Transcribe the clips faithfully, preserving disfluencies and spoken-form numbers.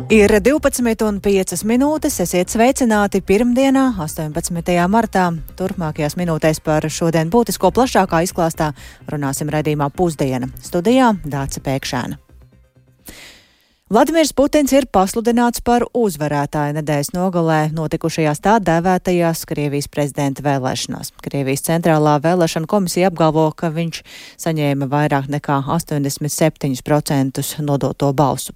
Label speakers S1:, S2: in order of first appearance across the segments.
S1: Ir divpadsmit un piecas minūtes, esiet sveicināti pirmdienā, astoņpadsmitajā martā. Turpmākajās minūtēs par šodien būtisko plašākā izklāstā runāsim raidījumā Pusdiena. Studijā Dāce Pēkšēna. Vladimirs Putins ir pasludināts par uzvarētāju nedēļas nogalē notikušajās tā dēvētajās Krievijas prezidenta vēlēšanās. Krievijas centrālā vēlēšana komisija apgalvo, ka viņš saņēma vairāk nekā astoņdesmit septiņus procentus nodoto balsu.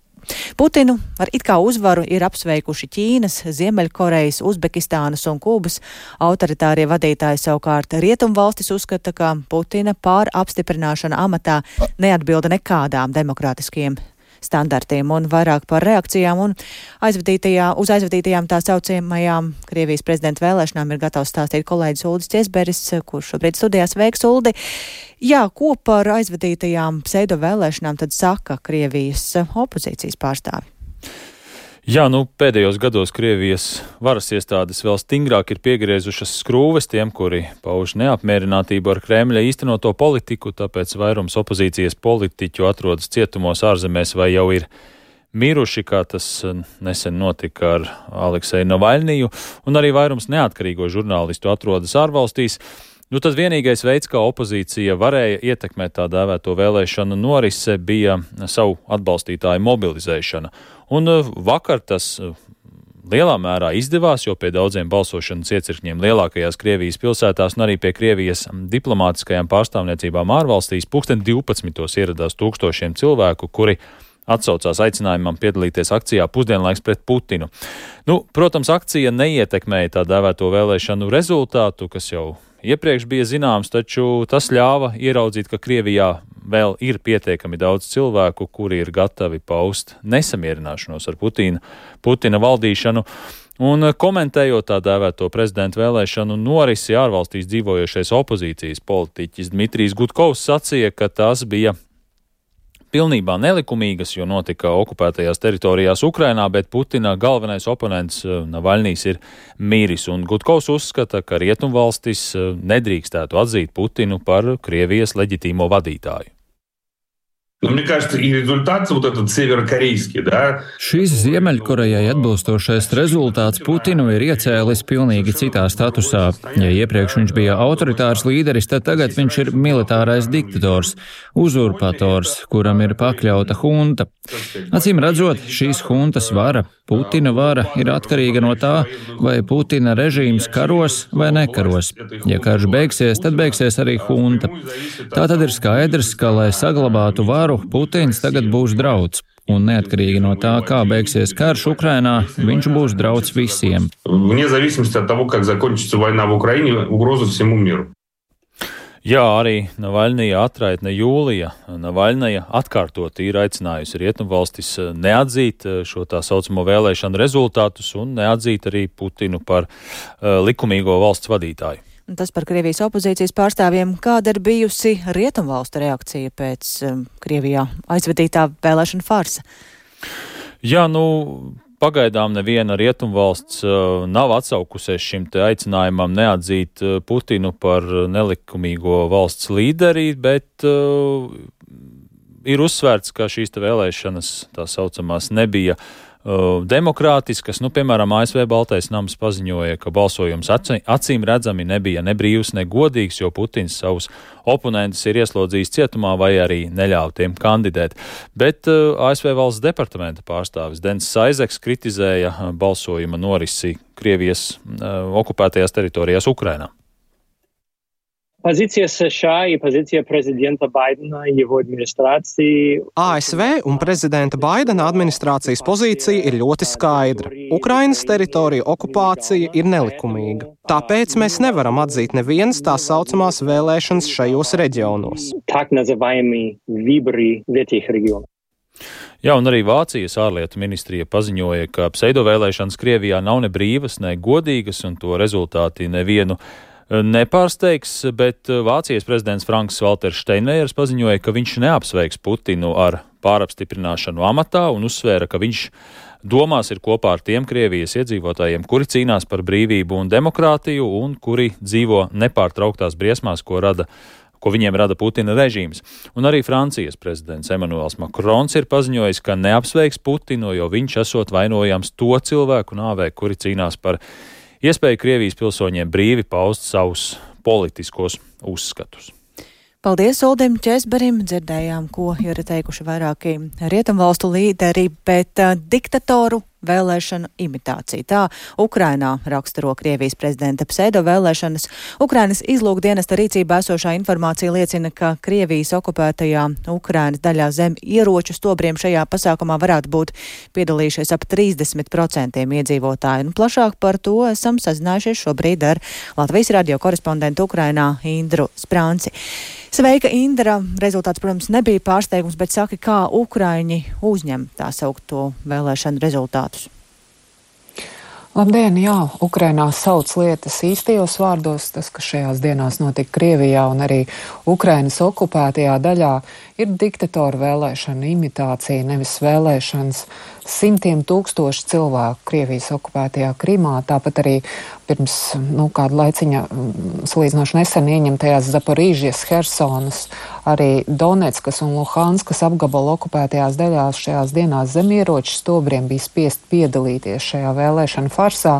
S1: Putinu ar it kā uzvaru ir apsveikuši Ķīnas, Ziemeļkorejas, Uzbekistānas un Kubas. Autoritārie vadītāji savukārt Rietumvalstis uzskata, ka Putina pārapstiprināšana amatā neatbilda nekādām demokrātiskiem standartiem, un vairāk par reakcijām un aizvadītajā, uz aizvadītajām tā saucamajām Krievijas prezidenta vēlēšanām ir gatavs stāstīt kolēģis Uldis Ķesberis, kurš šobrīd studijās. Sveiks, Uldi! Jā, ko par aizvadītajām pseido vēlēšanām tad saka Krievijas opozīcijas pārstāvi?
S2: Jā, nu pēdējos gados Krievijas varas iestādes vēl stingrāk ir piegriezušas skrūves tiem, kuri pauž neapmierinātību ar Kremļa īstenoto politiku, tāpēc vairums opozīcijas politiķu atrodas cietumos ārzemēs vai jau ir miruši, kā tas nesen notika ar Alekseju Navaļniju, un arī vairums neatkarīgo žurnālistu atrodas ārvalstīs. Nu tad vienīgais veids, kā opozīcija varēja ietekmēt tā dēvēto vēlēšanu norise, bija savu atbalstītāju mobilizēšana. Un vakar tas lielā mērā izdevās, jo pie daudziem balsošanas iecirkņiem lielākajās Krievijas pilsētās un arī pie Krievijas diplomātiskajām pārstāvniecībām ārvalstīs pulksten divpadsmitos ieradās tūkstošiem cilvēku, kuri atsaucās aicinājumam piedalīties akcijā Pusdienlaiks pret Putinu. Nu, protams, akcija neietekmēja tā dēvēto vēlēšanu rezultātu, kas jau iepriekš bija zināms, taču tas ļāva ieraudzīt, ka Krievijā vēl ir pietiekami daudz cilvēku, kuri ir gatavi paust nesamierināšanos ar Putina, Putina valdīšanu. Un komentējot tā dēvēto prezidenta vēlēšanu norisi, ārvalstīs dzīvojošais opozīcijas politiķis Dmitrijs Gudkovs sacīja, ka tās bija pilnībā nelikumīgas, jo notika okupētajās teritorijās Ukrainā, bet Putina galvenais oponents Navaļnijs ir miris, un Gudkovs uzskata, ka Rietumvalstis nedrīkstētu atzīt Putinu par Krievijas leģitīmo vadītāju.
S3: Но мне кажется, и результат вот этот северокорейский, да?
S4: Šis Ziemeļkorejai atbilstošais rezultāts Putinu ir iecēlis pilnīgi citā statusā. Ja iepriekš viņš bija autoritārs līderis, tad tagad viņš ir militārais diktators, uzurpators, kuram ir pakļauta hunta. Acīm redzot, šīs huntas vara, Putina vara, ir atkarīga no tā, vai Putina režīms karos vai nekaros. Ja karš beigsies, tad beigsies arī hunta. Tā tad ir skaidrs, ka, lai saglabātu varu, Putins tagad būs drauds, un neatkarīgi no tā, kā beigsies karš Ukrainā, viņš būs drauds visiem.
S3: Вне зависимости от того, как закончится война в Украине, угроза всему миру.
S2: Jā, arī Navaļnija atraitne Jūlija Navaļnija atkārtot ir aicinājusi Rietumvalstis neatzīt šo tā saucamo vēlēšanu rezultātus un neatzīt arī Putinu par uh, likumīgo valsts vadītāju.
S1: Tas par Krievijas opozīcijas pārstāvjiem. Kāda ir bijusi Rietumvalstu reakcija pēc um, Krievijā aizvadītā vēlēšana farsa?
S2: Jā, nu, pagaidām neviena Rietumvalsts uh, nav atsaukusies šim te aicinājumam neatzīt uh, Putinu par nelikumīgo valsts līderi, bet uh, ir uzsvērts, ka šīs te vēlēšanas, tā saucamās, nebija Uh, demokrātiskas. Nu, piemēram, A S V Baltais nams paziņoja, ka balsojums acī, acīm redzami nebija ne brīvs, ne godīgs, jo Putins savus oponentus ir ieslodzījis cietumā vai arī neļauj tiem kandidēt. Bet uh, A S V valsts departamenta pārstāvis Dens Saizeks kritizēja uh, balsojuma norisi Krievijas uh, okupētajās teritorijās Ukrainā.
S5: Позиция США и позиция президента Байдена и его администрации.
S6: A S V un prezidenta Baidena administrācijas pozīcija ir ļoti skaidra. Ukrainas teritorija okupācija ir nelikumīga. Tāpēc mēs nevaram atzīt nevienas tā saucamās vēlēšanas šajos reģionos.
S5: Так называемые выборы в этих регионах.
S2: Jā, un arī Vācijas ārlietu ministrija paziņoja, ka pseidovēlēšanas Krievijā nav ne brīvas, ne godīgas, un to rezultāti nevienu nepārsteigs, bet Vācijas prezidents Franks Valters Steinmeiers paziņoja, ka viņš neapsveiks Putinu ar pārapstiprināšanu amatā un uzsvēra, ka viņš domās ir kopā ar tiem Krievijas iedzīvotājiem, kuri cīnās par brīvību un demokrātiju un kuri dzīvo nepārtrauktās briesmās, ko rada ko viņiem rada Putina režīms. Un arī Francijas prezidents Emmanuels Macrons ir paziņojis, ka neapsveiks Putinu, jo viņš esot vainojams to cilvēku nāvē, kuri cīnās par iespēju Krievijas pilsoņiem brīvi paust savus politiskos uzskatus.
S1: Paldies Uldim Česberim, dzirdējām, ko ir teikuši vairāki rietumvalstu līderi, bet uh, diktatoru vēlēšanu imitācija. Tā Ukrainā raksturo Krievijas prezidenta pseido vēlēšanas. Ukrainas izlūkdienesta rīcībā esošā informācija liecina, ka Krievijas okupētajā Ukrainas daļā zem ieroču stobriem šajā pasākumā varētu būt piedalījušies ap trīsdesmit procentiem iedzīvotāju. Un plašāk par to esam sazinājušies šobrīd ar Latvijas radio korespondentu Ukrainā Indru Sprānci. Sveika, Indra! Rezultāts, protams, nebija pārsteigums, bet saki, kā Ukraiņi uzņem tā saukto vēlēšanu rezultātus?
S7: Labdien, jā, Ukrainā sauc lietas īstajos vārdos. Tas, kas šajās dienās notika Krievijā un arī Ukrainas okupētajā daļā, ir diktatora vēlēšana imitācija, nevis vēlēšanas. Simtiem tūkstoši cilvēku Krievijas okupētajā Krimā, tāpat arī pirms nu, kāda laiciņa salīdzinoši nesen ieņemtajās Zaporīžijas, Hersonas, arī Donetskas un Luhanskas apgabala okupētajās daļās šajās dienās zemieroču stobriem bija spiest piedalīties šajā vēlēšana farsā.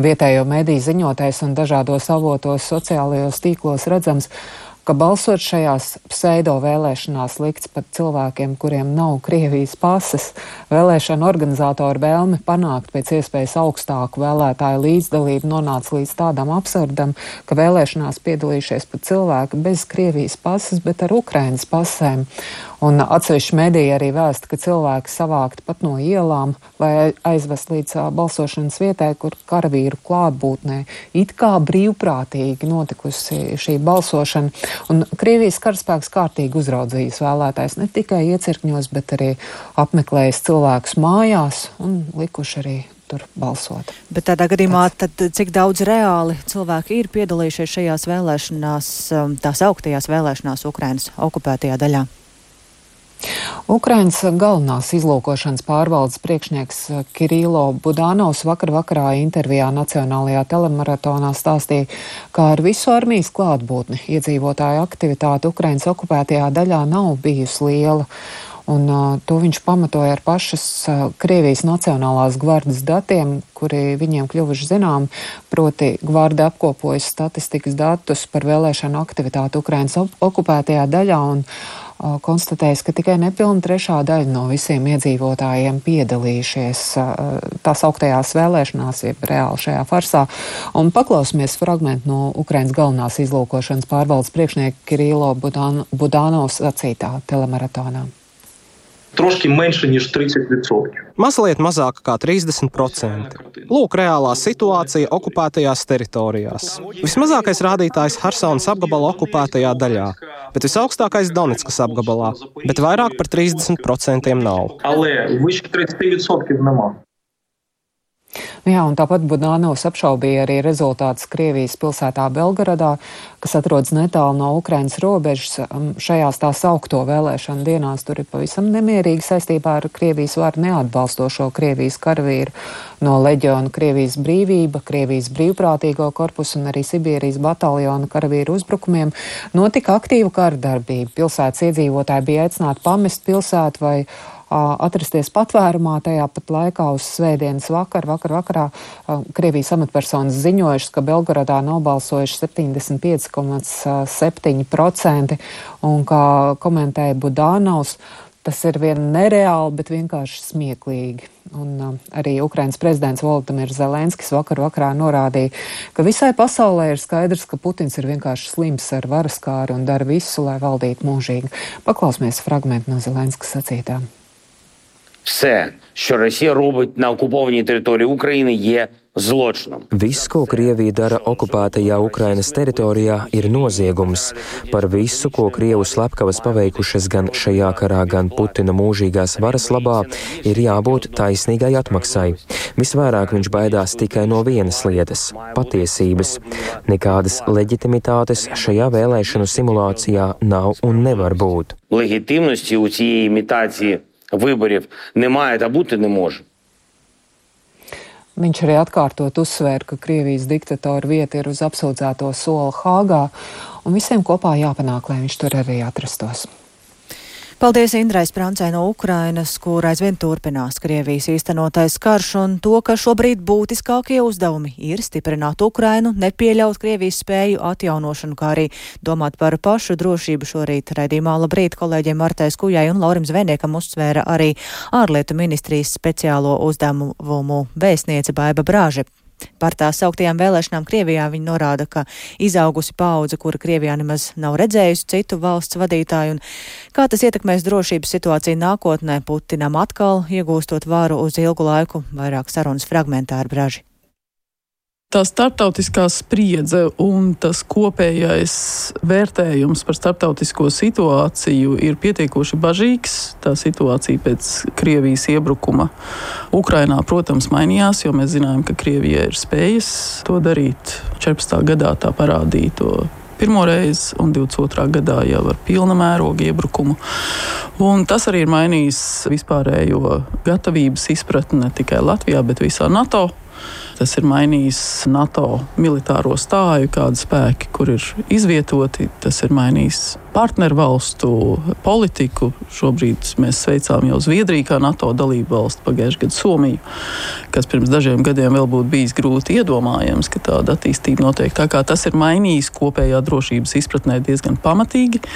S7: Vietējo mediju ziņotājs un dažādos avotos sociālajos tīklos redzams, ka balsot šajās pseido vēlēšanās likts pat cilvēkiem, kuriem nav Krievijas pases. Vēlēšana organizātoru vēlme panākt pēc iespējas augstāku vēlētāju līdzdalību nonāca līdz tādam absurdam, ka vēlēšanās piedalījušies pat cilvēki bez Krievijas pases, bet ar Ukrainas pasēm. Un atsevišķi mediji arī vēsta, ka cilvēki savākti pat no ielām, lai aizvest līdz uh, balsošanas vietai, kur karavīru klātbūtnē it kā brīvprātīgi notikusi šī balsošana. Un Krievijas karaspēks kārtīgi uzraudzījis vēlētājs ne tikai iecirkņos, bet arī apmeklējis cilvēkus mājās un likuši arī tur balsot.
S1: Bet tādā gadījumā tad cik daudz reāli cilvēki ir piedalījušies šajās vēlēšanās, tās augtajās vēlēšanās Ukrainas okupētajā daļā?
S7: Ukrainas galvenās izlūkošanas pārvaldes priekšnieks Kirilo Budanovs vakar vakarā intervijā Nacionālajā telemaratonā stāstīja, ka ar visu armijas klātbūtni iedzīvotāju aktivitāte Ukrainas okupētajā daļā nav bijusi liela. Un uh, to viņš pamatoja ar pašas uh, Krievijas Nacionālās gvardas datiem, kuri viņiem kļuvuši zinām, proti gvarda apkopojas statistikas datus par vēlēšanu aktivitāti Ukrainas okupētajā daļā un uh, konstatējis, ka tikai nepilna trešā daļa no visiem iedzīvotājiem piedalījušies uh, tās augtajās vēlēšanās, jeb reāli šajā farsā. Un paklausīsimies fragmentu no Ukrainas galvenās izlūkošanas pārvaldes priekšnieka Kirilo Budan- Budanovs sacītā telemaratonā.
S8: Трошки менше, ніж тридцять відсотків.
S6: Mazliet mazāk kā trīsdesmit procenti. Lūk, reālā situācija okupētajās teritorijās. Vismazākais rādītājs Hersonas apgabala okupētajā daļā, bet visaugstākais Donetskas apgabalā, bet vairāk par trīsdesmit procentiem nav.
S8: Але вище тридцять відсотків нема.
S7: Jā, un tāpat Budanovs apšaubīja arī rezultātus Krievijas pilsētā Belgaradā, kas atrodas netālu no Ukrainas robežas. Šajās tās augto vēlēšanu dienās tur ir pavisam nemierīgi saistībā ar Krievijas varu neatbalstošo Krievijas karavīru no leģiona Krievijas brīvība, Krievijas brīvprātīgo korpusu un arī Sibīrijas bataljona karavīru uzbrukumiem. Notika aktīva kara darbība. Pilsētas iedzīvotāji bija aicināti pamest pilsētu vai atrasties patvērumā. Tajā pat laikā uz svētdienas vakar, vakar vakarā Krievijas amatpersonas ziņojušas, ka Belgaradā nobalsojuši septiņdesmit pieci komats septiņi procenti, un kā komentēja Budanovs, tas ir vien nereāli, bet vienkārši smieklīgi. Un uh, arī Ukrainas prezidents Volodimirs Zelenskis vakar vakarā norādīja, ka visai pasaulē ir skaidrs, ka Putins ir vienkārši slims ar varaskāri un dara visu, lai valdītu mūžīgi. Paklausīsimies fragmentu no Zelenskas sacītā.
S9: Все, що Росія робить на окупованій території України, є zločinam.
S10: Viss, ko Krievija dara okupētajā Ukrainas teritorijā, ir noziegums. Par visu, ko Krievu slepkavas paveikušas gan šajā karā, gan Putina mūžīgās varas labā, ir jābūt taisnīgai atmaksai. Visvairāk viņš baidās tikai no vienas lietas – patiesības. Nekādas leģitimitātes šajā vēlēšanu simulācijā nav un nevar būt.
S9: Легітимності у цієї імітації виборів немає та бути не може.
S7: Viņš arī atkārtot uzsvēra, ka Krievijas diktatora vieta ir uz apsūdzēto soli Hāgā, un visiem kopā jāpanāk, lai viņš tur arī atrastos.
S1: Paldies Indrai Sprancē no Ukrainas, kur aizvien turpinās Krievijas īstenotais karš, un to, ka šobrīd būtiskākie uzdevumi ir stiprināt Ukrainu, nepieļaut Krievijas spēju atjaunošanu, kā arī domāt par pašu drošību. Šorīt raidījumā Labrīt kolēģiem Martai Skujai un Laurim Zvejniekam uzsvēra arī ārlietu ministrijas speciālo uzdevumu vēstniece Baiba Brāže. Par tās sauktajām vēlēšanām Krievijā viņa norāda, ka izaugusi paudze, kura Krievijā nemaz nav redzējusi citu valsts vadītāju, un kā tas ietekmēs drošības situāciju nākotnē, Putinam atkal iegūstot varu uz ilgu laiku. Vairāk sarunas fragmentā ar Braži.
S11: Tā starptautiskā spriedze un tas kopējais vērtējums par starptautisko situāciju ir pietiekoši bažīgs. Tā situācija pēc Krievijas iebrukuma Ukrainā, protams, mainījās, jo mēs zinājām, ka Krievija ir spējas to darīt. četrpadsmitā gadā tā parādīja to pirmo reizi, un divdesmit otrā gadā jau ar pilna mēroga iebrukumu. Un tas arī ir mainījis vispārējo gatavības izpratni ne tikai Latvijā, bet visā NATO. Tas ir mainījis NATO militāro stāju, kādi spēki, kur ir izvietoti. Tas ir mainījis partnervalstu politiku. Šobrīd mēs sveicām jau Zviedriju kā NATO dalību valstu, pagājušajā gadā Somiju, kas pirms dažiem gadiem vēl būtu bijis grūti iedomājams, ka tāda attīstība notiek. Tā kā tas ir mainījis kopējā drošības izpratnē diezgan pamatīgi.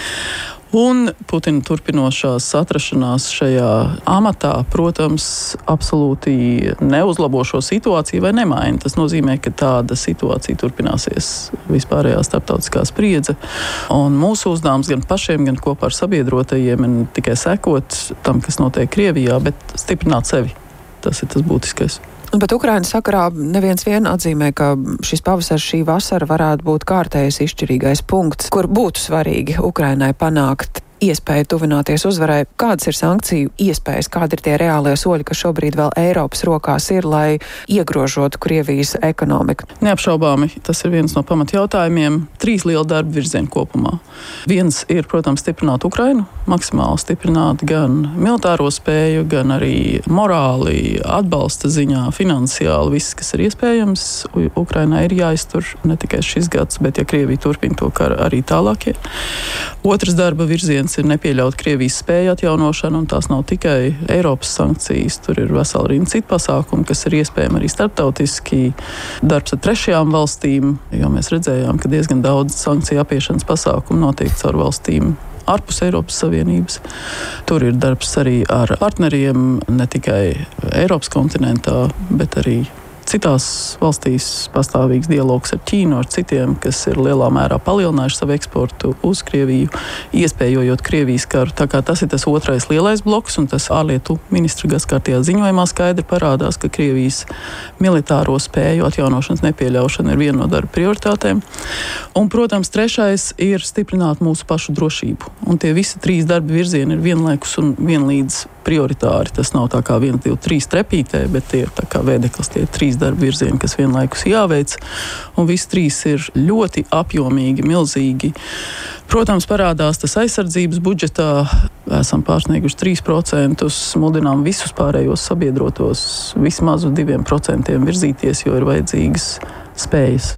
S11: Un Putina turpinošās atrašanās šajā amatā, protams, absolūti neuzlabo šo situāciju vai nemaina. Tas nozīmē, ka tāda situācija turpināsies vispārējā starptautiskā spriedze. Un mūsu uzdevums gan pašiem, gan kopā ar sabiedrotajiem ir ne tikai sekot tam, kas notiek Krievijā, bet stiprināt sevi. Tas ir tas būtiskais.
S7: Bet Ukrainas sakarā neviens vien atzīmē, ka šis pavasars, šī vasara varētu būt kārtējs izšķirīgais punkts, kur būtu svarīgi Ukrainai panākt iespēju tuvināties uzvarai. Kādas ir sankciju iespējas, kādi ir tie reālie soļi, kas šobrīd vēl Eiropas rokās ir, lai iegrožotu Krievijas ekonomiku?
S11: Neapšaubāmi, tas ir viens no pamatjautājumiem. Trīs liela darba virzieni kopumā. Viens ir, protams, stiprināt Ukrainu, maksimāli stiprināt gan militāro spēju, gan arī morāli, atbalsta ziņā, finansiāli, viss, kas ir iespējams. Ukrainai ir jāiztur ne tikai šis gads, bet ja Krievija turpina to karu arī tālākie. Otrs darba virziens ir nepieļaut Krievijas spēju atjaunošanu, un tās nav tikai Eiropas sankcijas, tur ir vesela rinda citu pasākumu, kas ir iespējami arī starptautiski darbs ar trešajām valstīm, jo mēs redzējām, ka diezgan daudz sankciju apiešanas pasākumu notiek caur valstīm ārpus Eiropas Savienības. Tur ir darbs arī ar partneriem, ne tikai Eiropas kontinentā, bet arī citās valstīs pastāvīgs dialogs ar Ķīnu, ar citiem, kas ir lielā mērā palielinājuši savu eksportu uz Krieviju, iespējojot Krievijas karu. Tā kā tas ir tas otrais lielais bloks, un tas ārlietu ministra gadskārtējā ziņojumā skaidri parādās, ka Krievijas militāro spēju atjaunošanas nepieļaušana ir viena no darba prioritātēm. Un, protams, trešais ir stiprināt mūsu pašu drošību. Un tie visi trīs darba virzieni ir vienlaikus un vienlīdz prioritāri. Tas nav tā kā viens, divi, trīs trepītē, bet tie ir tā kā vēdeklis, tie ir trīs darba virzieni, kas vienlaikus jāveic. Un visi trīs ir ļoti apjomīgi, milzīgi. Protams, parādās tas aizsardzības budžetā. Esam pārsnieguši trīs procentus, mudinām visus pārējos sabiedrotos vismaz uz diviem procentiem virzīties, jo ir vajadzīgas spējas.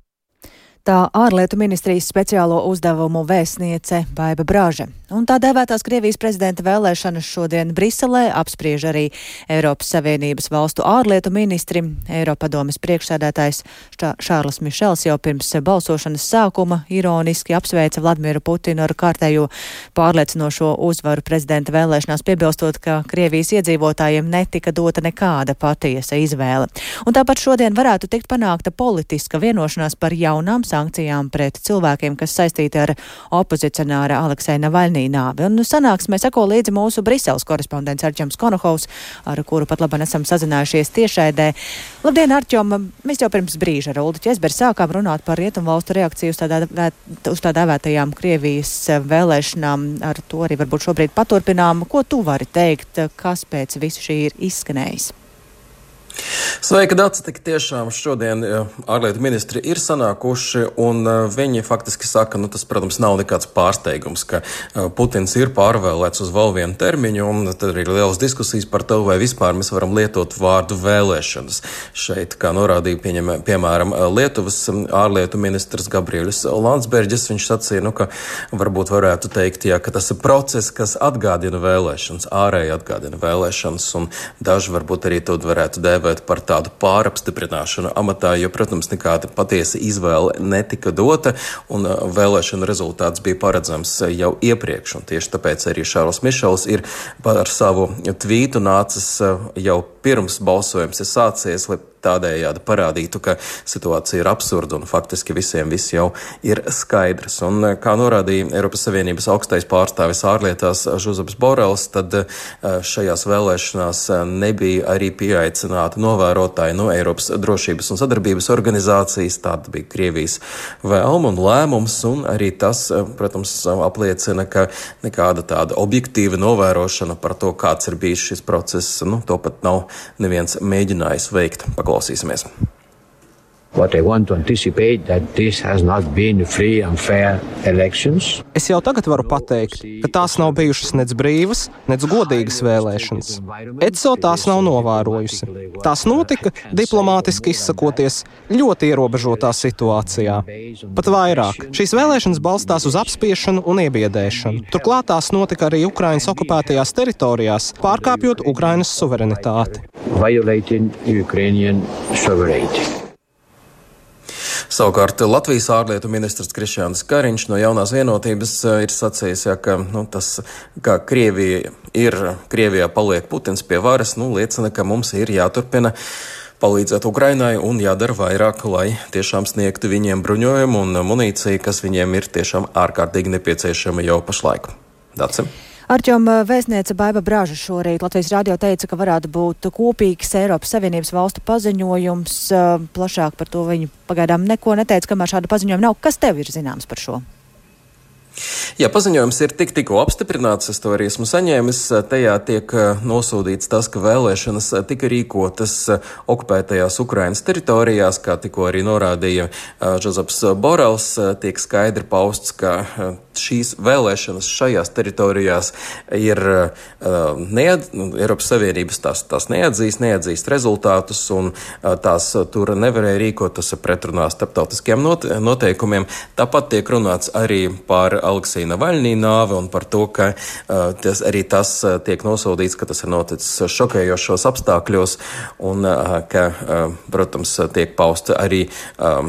S1: Tā ārlietu ministrijas speciālo uzdevumu vēstniece Baiba Brāže. Un tā dēvētās Krievijas prezidenta vēlēšanas šodien Briselē apspriež arī Eiropas Savienības valstu ārlietu ministri. Eiropadomes priekšsēdētājs Šārls Mišels jau pirms balsošanas sākuma ironiski apsveica Vladimiru Putinu ar kārtējo pārliecinošo uzvaru prezidenta vēlēšanās, piebilstot, ka Krievijas iedzīvotājiem netika dota nekāda patiesa izvēle. Un tāpat šodien varētu tikt panākta politiska vienošanās par jaunām sankcijām pret cilvēkiem, kas saistīti ar opozicionāra Alekseja Navaļnī nāvi. Un sanāksmē seko līdzi mūsu Briseles korespondents Arķoms Konohovs, ar kuru pat labāk esam sazinājušies tiešraidē. Labdien, Arķom! Mēs jau pirms brīža ar Uldi Česberi sākām runāt par rietumvalstu reakciju uz tā, uz tā dēvētajām Krievijas vēlēšanām. Ar to arī varbūt šobrīd paturpinām. Ko tu vari teikt, kas pēc visu šī ir izskanējis?
S12: Sveika, Dace, tik tiešām šodien ārlietu ministri ir sanākuši, un viņi faktiski saka, nu tas, protams, nav nekāds pārsteigums, ka Putins ir pārvēlēts uz vēl vienu termiņu, un tad ir lielas diskusijas par to, vai vispār mēs varam lietot vārdu vēlēšanas. Šeit, kā norādīja, pieņem, piemēram, Lietuvas ārlietu ministrs Gabriels Landsbergis, viņš sacīja, nu, ka varbūt varētu teikt, jā, ka tas ir process, kas atgādina vēlēšanas, ārēji atgādina vēlēšanas, un daži varbūt arī to varētu dēvēt par tādu pārapstiprināšanu amatā, jo, protams, nekāda patiesa izvēle netika dota, un vēlēšana rezultāts bija paredzams jau iepriekš, un tieši tāpēc arī Šārls Mišels ir par savu tvītu nācis jau pirms balsojums ir sācies, lai tādējādi parādītu, ka situācija ir absurda un faktiski visiem viss jau ir skaidrs. Un, kā norādīja Eiropas Savienības augstais pārstāvis ārlietās Žozeps Borels, tad šajās vēlēšanās nebija arī pieaicināti novērotāji no Eiropas drošības un sadarbības organizācijas. Tāda bija Krievijas vēlma un lēmums, un arī tas, protams, apliecina, ka nekāda tāda objektīva novērošana par to, kāds ir bijis šis process, nu, to pat nav neviens mēģinājis veikt. Paklausīsimies.
S13: What I want to anticipate that this has not been free and fair elections.
S6: Es jau tagad varu pateikt, ka tās nav bijušas nec brīvas, nec godīgas vēlēšanas. E C O tās nav novērojusi. Tās notika, diplomātiski izsakoties, ļoti ierobežotā situācijā. Pat vairāk. Šīs vēlēšanas balstās uz apspiešanu un iebiedēšanu. Turklāt tās notika arī Ukrainas okupētajās teritorijās, pārkāpjot Ukrainas suverenitāti.
S13: Violating Ukrainian sovereignty.
S12: Savukārt Latvijas ārlietu ministrs Krišjānis Kariņš no Jaunās vienotības ir sacījis, ja, ka nu, tas, ka Krievija ir, Krievijā paliek Putins pie varas, nu, liecina, ka mums ir jāturpina palīdzēt Ukrainai un jādara vairāk, lai tiešām sniegtu viņiem bruņojumu un munīciju, kas viņiem ir tiešām ārkārtīgi nepieciešama jau pašlaik. Dace?
S1: Arķom, vēstniece Baiba Brāža šorīt Latvijas radio teica, ka varētu būt kopīgs Eiropas Savienības valstu paziņojums. Plašāk par to viņi pagaidām neko neteica, kamēr šāda paziņojuma nav. Kas tev ir zināms par šo?
S12: Jā, paziņojums ir tik tikko apstiprināts, es to arī esmu saņēmis. Tajā tiek nosūdīts tas, ka vēlēšanas tika rīkotas okupētajās Ukrainas teritorijās, kā tikko arī norādīja Žozeps Borels, tiek skaidri pausts, ka šīs vēlēšanas šajās teritorijās ir neat, Eiropas Savienības tās, tās neatzīst, neatzīst rezultātus, un tās tur nevarēja rīkot, tas ir pretrunā starptautiskiem noteikumiem. Tāpat tiek runāts arī par Aleksija Navaļnī nāvi un par to, ka uh, tas, arī tas uh, tiek nosodīts, ka tas ir noticis šokējošos apstākļos un uh, ka, uh, protams, tiek pausta arī um,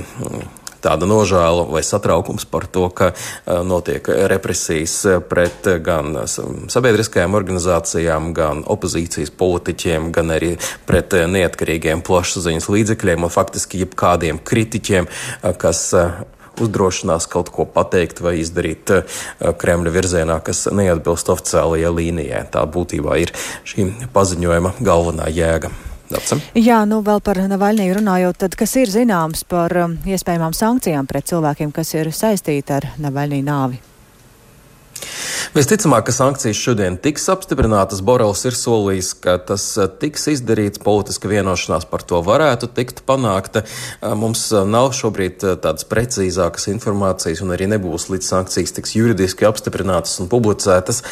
S12: tāda nožēla vai satraukums par to, ka uh, notiek represijas pret gan sabiedriskajām organizācijām, gan opozīcijas politiķiem, gan arī pret uh, neatkarīgiem plašsaziņas līdzekļiem un faktiski jebkādiem kritiķiem, uh, kas uh, uzdrošinās kaut ko pateikt vai izdarīt Kremļa virzienā, kas neatbilst oficiālajai līnijai. Tā būtībā ir šī paziņojuma galvenā jēga. Dace?
S1: Jā, nu vēl par Navaļniju runājot, tad kas ir zināms par um, iespējamām sankcijām pret cilvēkiem, kas ir saistīti ar Navaļnī nāvi?
S12: Visticamāk, ka sankcijas šodien tiks apstiprinātas. Borels ir solījis, ka tas tiks izdarīts, politiska vienošanās par to varētu tikt panākta. Mums nav šobrīd tādas precīzākas informācijas un arī nebūs līdz sankcijas tiks juridiski apstiprinātas un publicētas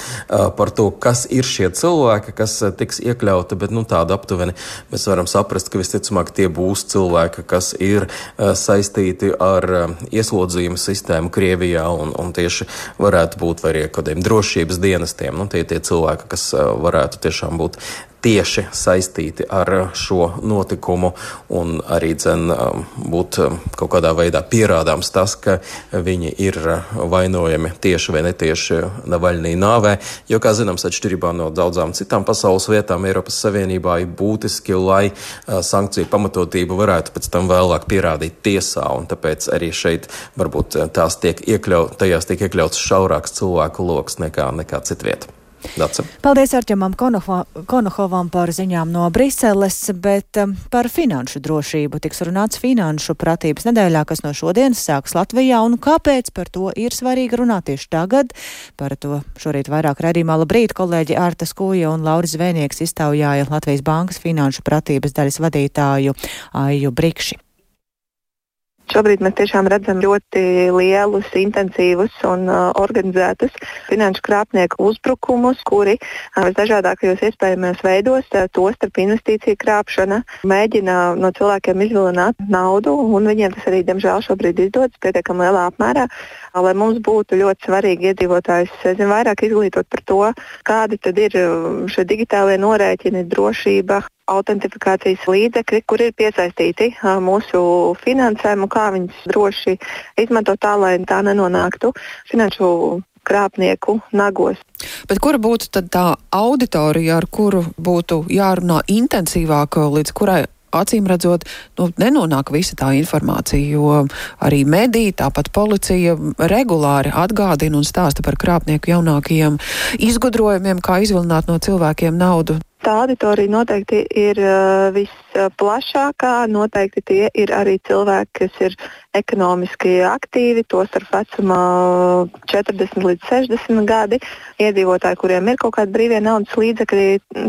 S12: par to, kas ir šie cilvēki, kas tiks iekļauti, bet nu tāda aptuveni mēs varam saprast, ka visticamāk tie būs cilvēki, kas ir saistīti ar ieslodzījuma sistēmu Krievijā un, un tieši varētu būt vai arī kādiem drošības dienestiem. Nu, tie tie cilvēki, kas varētu tiešām būt tieši saistīti ar šo notikumu un arī dzen būt kaut kādā veidā pierādāms tas, ka viņi ir vainojami tieši vai netieši Navaļnī nāvē, jo, kā zināms, atšķirībā no daudzām citām pasaules vietām Eiropas Savienībā ir būtiski, lai sankciju pamatotību varētu pēc tam vēlāk pierādīt tiesā, un tāpēc arī šeit varbūt tās tiek iekļaut, tajās tiek iekļauts šaurāks cilvēku loks nekā, nekā citvieta. Dace.
S1: Paldies Arķemam Konohovam par ziņām no Briseles, bet um, par finanšu drošību tiks runāts finanšu pratības nedēļā, kas no šodienas sāks Latvijā, un kāpēc par to ir svarīgi runāt tieši tagad. Par to šorīt vairāk raidījumā. Labrīt, kolēģi Ārta Skūja un Lauris Zvēnieks iztaujāja Latvijas Bankas finanšu pratības daļas vadītāju Aiju Brikši.
S14: Šobrīd mēs tiešām redzam ļoti lielus, intensīvus un uh, organizētus finanšu krāpnieku uzbrukumus, kuri uh, visdažādākajos iespējamajos veidos, uh, to starp investīciju krāpšana, mēģina no cilvēkiem izvilināt naudu, un viņiem tas arī, diemžēl, šobrīd izdodas pietiekami lielā apmērā, uh, lai mums būtu ļoti svarīgi iedzīvotājus, zin, vairāk izglītot par to, kādi tad ir šie digitālie norēķini, drošība, autentifikācijas līdzekļi, kur ir piesaistīti uh, mūsu finansēm un kā viņus droši izmantot tā, lai tā nenonāktu finanšu krāpnieku nagos.
S7: Bet kura būtu tad tā auditorija, ar kuru būtu jārunā intensīvāk, līdz kurai acīm redzot, nu, nenonāk visa tā informācija, jo arī mediji, tāpat policija regulāri atgādina un stāsta par krāpnieku jaunākajiem izgudrojumiem, kā izvilināt no cilvēkiem naudu.
S14: Tā auditorija noteikti ir uh, visplašākā, noteikti tie ir arī cilvēki, kas ir ekonomiski aktīvi, tos ar vecumā četrdesmit līdz sešdesmit gadi, iedzīvotāji, kuriem ir kaut kādi brīvie naudas līdzekļi,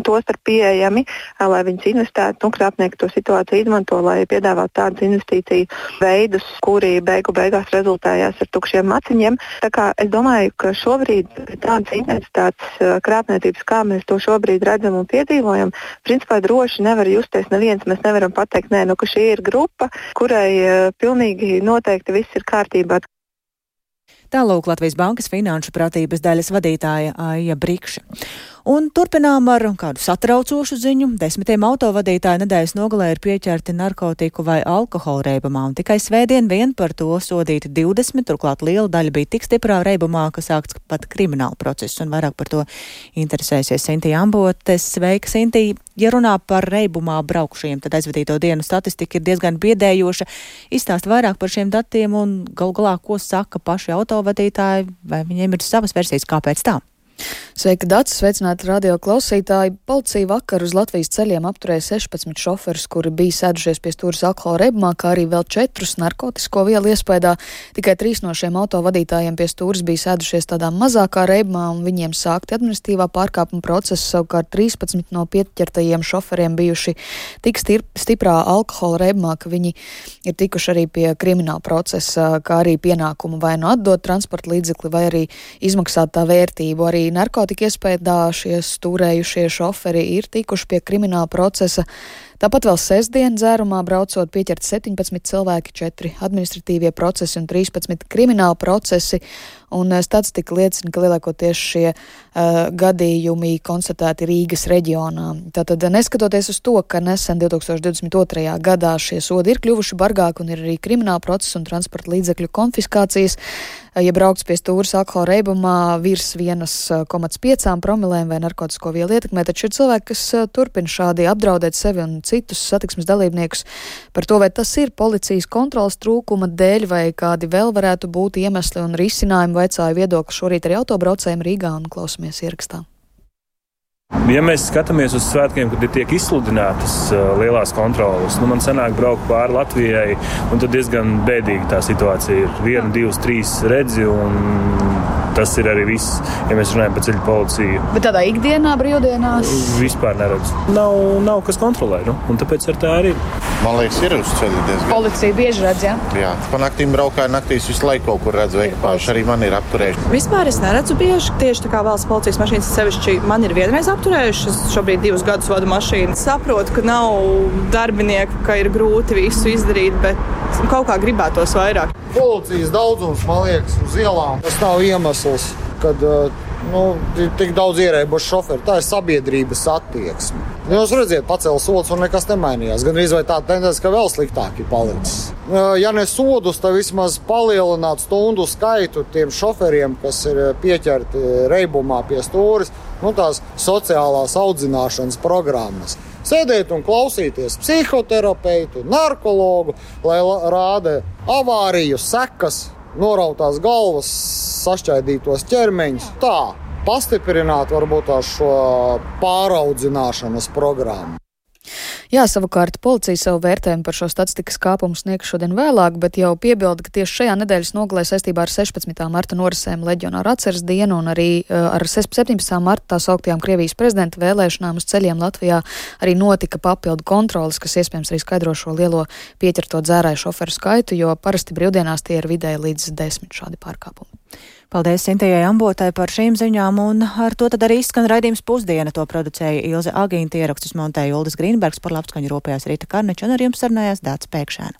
S14: tos ar pieejami, lai viņus investētu, nu, krāpnieki to situāciju izmanto, lai piedāvātu tādus investīciju veidus, kuri beigu beigās rezultējās ar tukšiem maciņiem. Tā kā es domāju, ka šobrīd tādas intensitātes krāpniecības, kā mēs to šobrīd redzam un piedzīvojam, principā droši nevar justies neviens. Mēs nevaram pateikt, nē, nu, ka šī ir grupa, kurai uh, pilnīgi noteikti viss ir kārtībā.
S1: Tālūk Latvijas Bankas finanšu pratības daļas vadītāja Aija Brikša. Un turpinām ar kādu satraucošu ziņu. Desmitiem autovadītāju nedēļas nogalē ir pieķerti narkotiku vai alkohola reibumā, un tikai svētdien vien par to sodīti divdesmit, turklāt liela daļa bija tik stiprā reibumā, ka sākts pat krimināla process, un vairāk par to interesēsies Sintija Ambotes. Sveika, Sintija! Ja runā par reibumā braukušajiem, tad aizvadīto dienu statistika ir diezgan biedējoša. Izstāst vairāk par šiem datiem un gal galā, ko saka paši autovadītāji, vai viņiem ir savas versijas, kāpēc tā?
S15: Sveika, Dācis, sveicināti radio klausītāji. Policija vakar uz Latvijas ceļiem apturēja sešpadsmit šoferus, kuri bija sēdušies pie stūres alkohola reibumā, kā arī vēl četrus narkotisko vielu iespējā. Tikai trīs no šiem autovadītājiem pie stūres bija sēdušies tādā mazākā reibumā, un viņiem sākti administratīvā pārkāpuma procesa. Savukārt trīspadsmit no pieķertajiem šoferiem bijuši tik stiprā alkohola reibumā, ka viņi ir tikuši arī pie krimināla procesa, kā arī pienākumu vai nu atdot transporta līdzekli, vai arī izmaksāt tā vērtību. Arī narkotika iespējā šie stūrējušie šoferi ir tikuši pie krimināla procesa. Tāpat vēl sestdien dzērumā braucot pieķert septiņpadsmit cilvēki, četri administratīvie procesi un trīspadsmit krimināla procesi. Un statistika liecina, ka lielākoties šie uh, gadījumi konstatēti Rīgas reģionā. Tātad, neskatoties uz to, ka nesen divtūkstoš divdesmit otrajā gadā šie sodi ir kļuvuši bargāki un ir arī krimināla procesa un transporta līdzekļu konfiskācijas, ja braukts pie stūres alkohola reibumā virs vienas komats piecām promilēm vai narkotisko vielu ietekmē, taču ir cilvēki, kas turpina šādi apdraudēt sevi un citus satiksmes dalībniekus. Par to, vai tas ir policijas kontrolas trūkuma dēļ vai kādi vēl varētu būt iemesli un risinājumi, vaicāju viedokli šorīt arī autobraucējiem Rīgā un klausamies ierakstā.
S16: Ja mēs skatāmies uz svētkiem, kad tiek izsludinātas uh, lielās kontrolas, nu man sanāk braukt pāri Latvijai, un tad diezgan bēdīgi tā situācija ir. Viena, divas, trīs redzi, un tas ir arī viss, ja mēs runājam par ceļu policiju.
S15: Bet tādā ikdienā, brīvdienās?
S16: Vispār neredz. Nav, nav kas kontrolē, nu, un tāpēc ar tā arī.
S17: Man liekas, ir uz ceļa diezgan.
S15: Policija bieži redz, jā?
S17: Jā, pa naktīm braukāju, naktīs visu laiku kaut kur redzu ekipāžu, arī man ir apturējuši.
S18: Vispār es neredzu bieži, tieši tā kā valsts policijas mašīnas sevišķi man ir vienreiz apturējuši. Es šobrīd divus gadus vadu mašīnu. Saprotu, ka nav darbinieku, ka ir grūti visu izdarīt, bet kaut kā gribētos vairāk.
S19: Policijas daudzums, man liekas, uz ielām. Tas nav iemesls, kad nu, tik daudz ierēbuši šoferi. Tā ir sabiedrības attieksme. Jūs redziet, pacēla sods un nekas nemainījās. Gan arī vai tā tendence, ka vēl sliktāk ir palicis. Ja ne sodus, tad vismaz palielināt stundu skaitu tiem šoferiem, kas ir pieķerti reibumā pie stūres, nu tās sociālās audzināšanas programmas. Sēdēt un klausīties psihoterapeitu, narkologu, lai rāda avāriju sekas, norautās galvas, sašķaidītos ķermeņus. Tā. pastiprināt varbūt šo pāraudzināšanas programmu.
S15: Jā, savukārt policija savu vērtējumu par šo statistikas kāpumu sniegs šodien vēlāk, bet jau piebilda, ka tieši šajā nedēļas nogalē saistībā ar sešpadsmitā marta norisēm Leģionāru atceres dienu un arī uh, ar septiņpadsmitā marta tā sauktajām Krievijas prezidenta vēlēšanām uz ceļiem Latvijā arī notika papildu kontroles, kas iespējams arī skaidro šo lielo pieķerto dzērāju šoferu skaitu, jo parasti brīvdienās tie ir vidēji līdz desmit šādi pārkāpumi.
S1: Paldies Sintējai Ambotai par šīm ziņām, un ar to tad arī izskan raidījums Pusdiena. To producēja Ilze Agīnta, ierakstus montēja Uldis Grīnbergs, par labskaņu rūpējās Rīta Karneča, un ar jums sarunājās Dācis Pēkšēna.